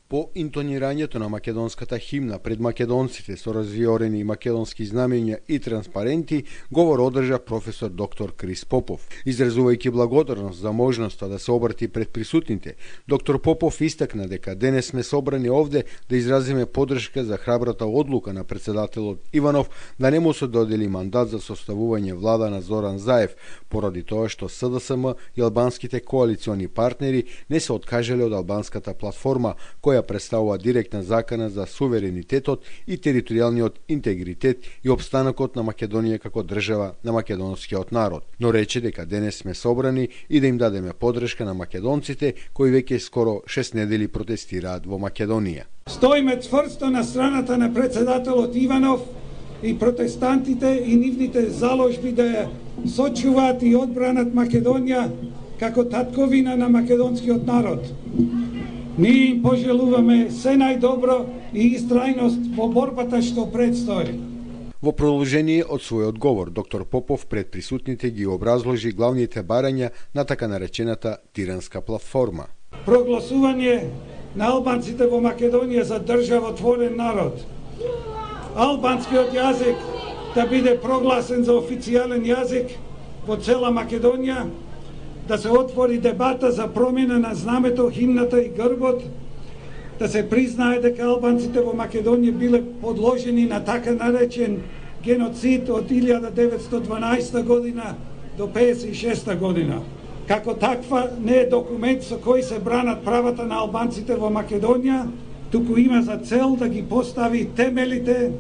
По интонирањето на македонската химна пред македонците со развиорени македонски знамења и транспаренти, говор одржа професор доктор Крис Попов. Изразувајќи благодарност за можноста да се обрати пред присутните, доктор Попов истакна дека денес сме собрани овде да изразиме поддршка за храбрата одлука на председателот Иванов да не му се додели мандат за составување влада на Зоран Заев, поради тоа што СДСМ и албанските коалициони партнери не се откажале од албанската платформа, која представува директна закана за суверенитетот и територијалниот интегритет и опстанокот на Македонија како држава на македонскиот народ. Но рече дека денес сме собрани и да им дадеме поддршка на македонците кои веќе скоро 6 недели протестираат во Македонија. Стоиме цврсто на страната на председателот Иванов и протестантите и нивните заложби да ја сочуваат и одбранат Македонија како татковина на македонскиот народ. Ние им пожелуваме се најдобро и истрајност во борбата што предстои. Во продолжение од својот говор, доктор Попов пред присутните ги образложи главните барања на така наречената Тиранска платформа. Прогласување на албанците во Македонија за државотворен народ. Албанскиот јазик да биде прогласен за официјален јазик во цела Македонија, да се отвори дебата за промена на знамето, химната и грбот, да се признае дека албанците во Македонија биле подложени на така наречен геноцид од 1912 година до 1956 година. Како таква не е документ со кој се бранат правата на албанците во Македонија, туку има за цел да ги постави темелите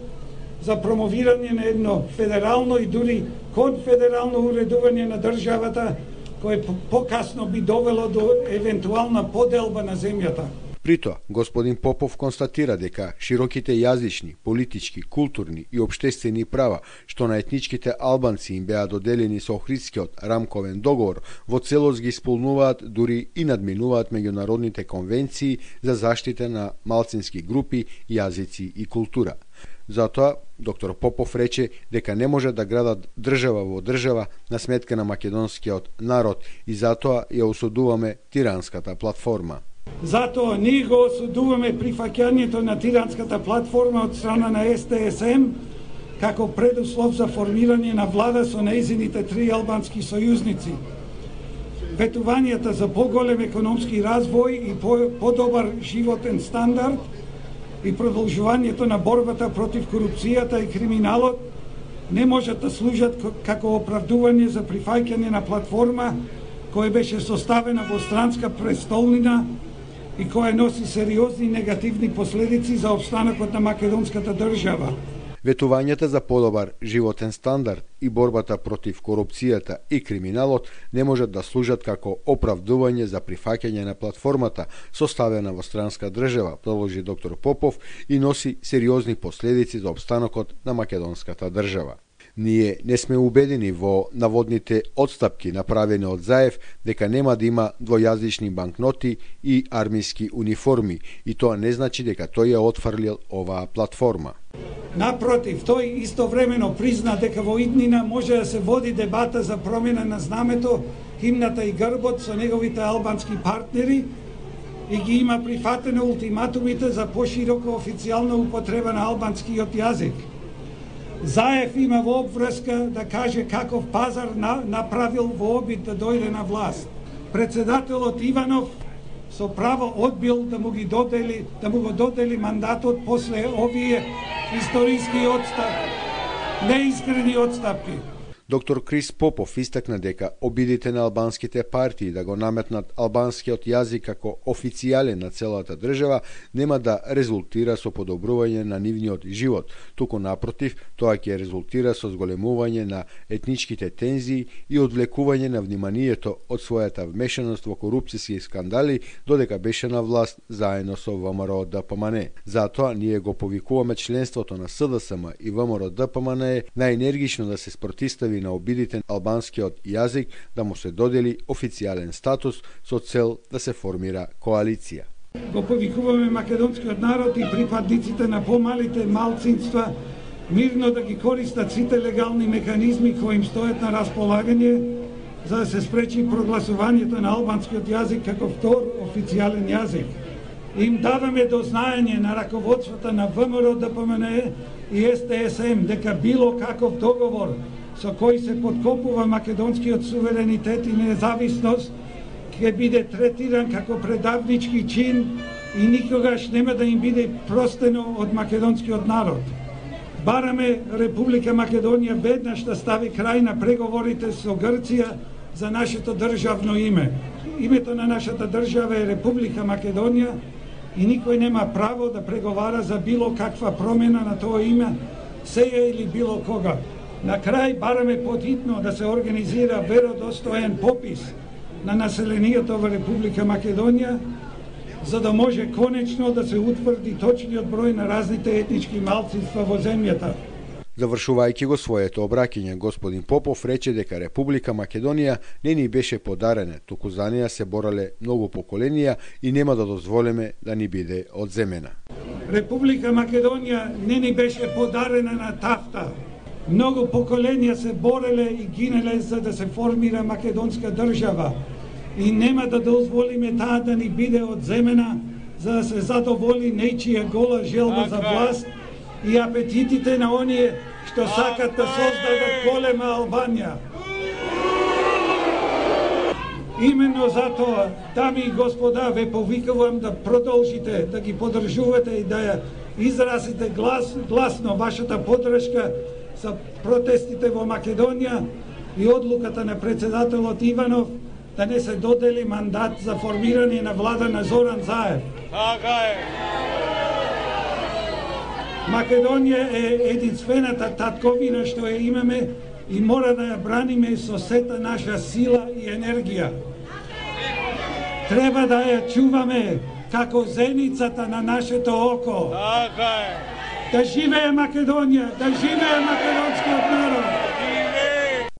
за промовирање на едно федерално и дури конфедерално уредување на државата, кое покасно би довело до евентуална поделба на земјата. При тоа, господин Попов констатира дека широките јазични, политички, културни и општествени права што на етничките албанци им беа доделени со Охридскиот рамковен договор во целост ги исполнуваат, дури и надминуваат меѓународните конвенции за заштита на малцински групи, јазици и култура. Затоа, доктор Попов рече дека не може да градат држава во држава на сметка на македонскиот народ и затоа ја осудуваме Тиранската платформа. Затоа ние го осудуваме прифаќањето на Тиранската платформа од страна на СДСМ како предуслов за формирање на влада со нејзините три албански сојузници. Ветувањата за поголем економски развој и подобар животен стандард и продолжувањето на борбата против корупцијата и криминалот не можат да служат како оправдување за прифаќање на платформа која беше составена во странска престолнина и која носи сериозни негативни последици за опстанокот на македонската држава. Ветувањата за подобар животен стандард и борбата против корупцијата и криминалот не можат да служат како оправдување за прифаќање на платформата составена во странска држава, продолжи доктор Попов, и носи сериозни последици за опстанокот на македонската држава. Ние не сме убедени во наводните отстапки направени од Заев дека нема да има двојазични банкноти и армиски униформи и тоа не значи дека тој ја отфрлил оваа платформа. Напротив, тој истовремено призна дека во иднина може да се води дебата за промена на знамето, химната и грбот со неговите албански партнери и ги има прифатено ултиматумите за поширока официјална употреба на албанскиот јазик. Заев има во обврска да каже каков пазар направил во обид да дојде на власт. Председателот Иванов со право одбил да му го додели мандатот после овие историски неискрени отстапки. Доктор Крис Попов истакна дека обидите на албанските партии да го наметнат албанскиот јазик како официјален на целата држава нема да резултира со подобрување на нивниот живот, туку напротив, тоа ќе резултира со зголемување на етничките тензии и одвлекување на вниманието од својата вмешаност во корупцијски скандали додека беше на власт заедно со ВМРО-ДПМН. Затоа ние го повикуваме членството на СДСМ и ВМРО-ДПМН најенергично да се спротистави на обидите на албанскиот јазик да му се додели официјален статус со цел да се формира коалиција. Го повикуваме македонскиот народ и припадниците на помалите малцинства мирно да ги користат сите легални механизми кои им стојат на располагање за да се спречи прогласувањето на албанскиот јазик како втор официјален јазик. Им даваме до знаење на раководството на ВМРО, ДПМНЕ и СТСМ дека било каков договор со кој се подкопува македонскиот суверенитет и независност ќе биде третиран како предавнички чин и никогаш нема да им биде простено од македонскиот народ. Бараме Република Македонија веднаш да стави крај на преговорите со Грција за нашето државно име. Името на нашата држава е Република Македонија и никој нема право да преговара за било каква промена на тоа име, сеја или било кога. На крај бараме подхитно да се организира веродостоен попис на населението во Република Македонија, за да може конечно да се утврди точниот број на разните етнички малцинства во земјата. Завршувајќи го своето обраќање, господин Попов рече дека Република Македонија не ни беше подарена, туку за неја се борале многу поколенија и нема да дозволиме да ни биде одземена. Република Македонија не ни беше подарена на тафта. Многу поколенија се бореле и гинеле за да се формира македонска држава и нема да дозволиме таа да ни биде одземена за да се задоволи нечија гола желба за власт и апетитите на оние што сакат да создадат голема Албанија. Именно затоа, дами и господа, ве повикувам да продолжите да ги поддржувате и да ја изразите гласно вашата поддршка за протестите во Македонија и одлуката на председателот Иванов да не се додели мандат за формирање на влада на Зоран Заев. Така е. Македонија е единствената татковина што ја имаме и мора да ја браниме со сета наша сила и енергија. Треба да ја чуваме како зеницата на нашето око. Така е. Да живее Македонија, да живее македонски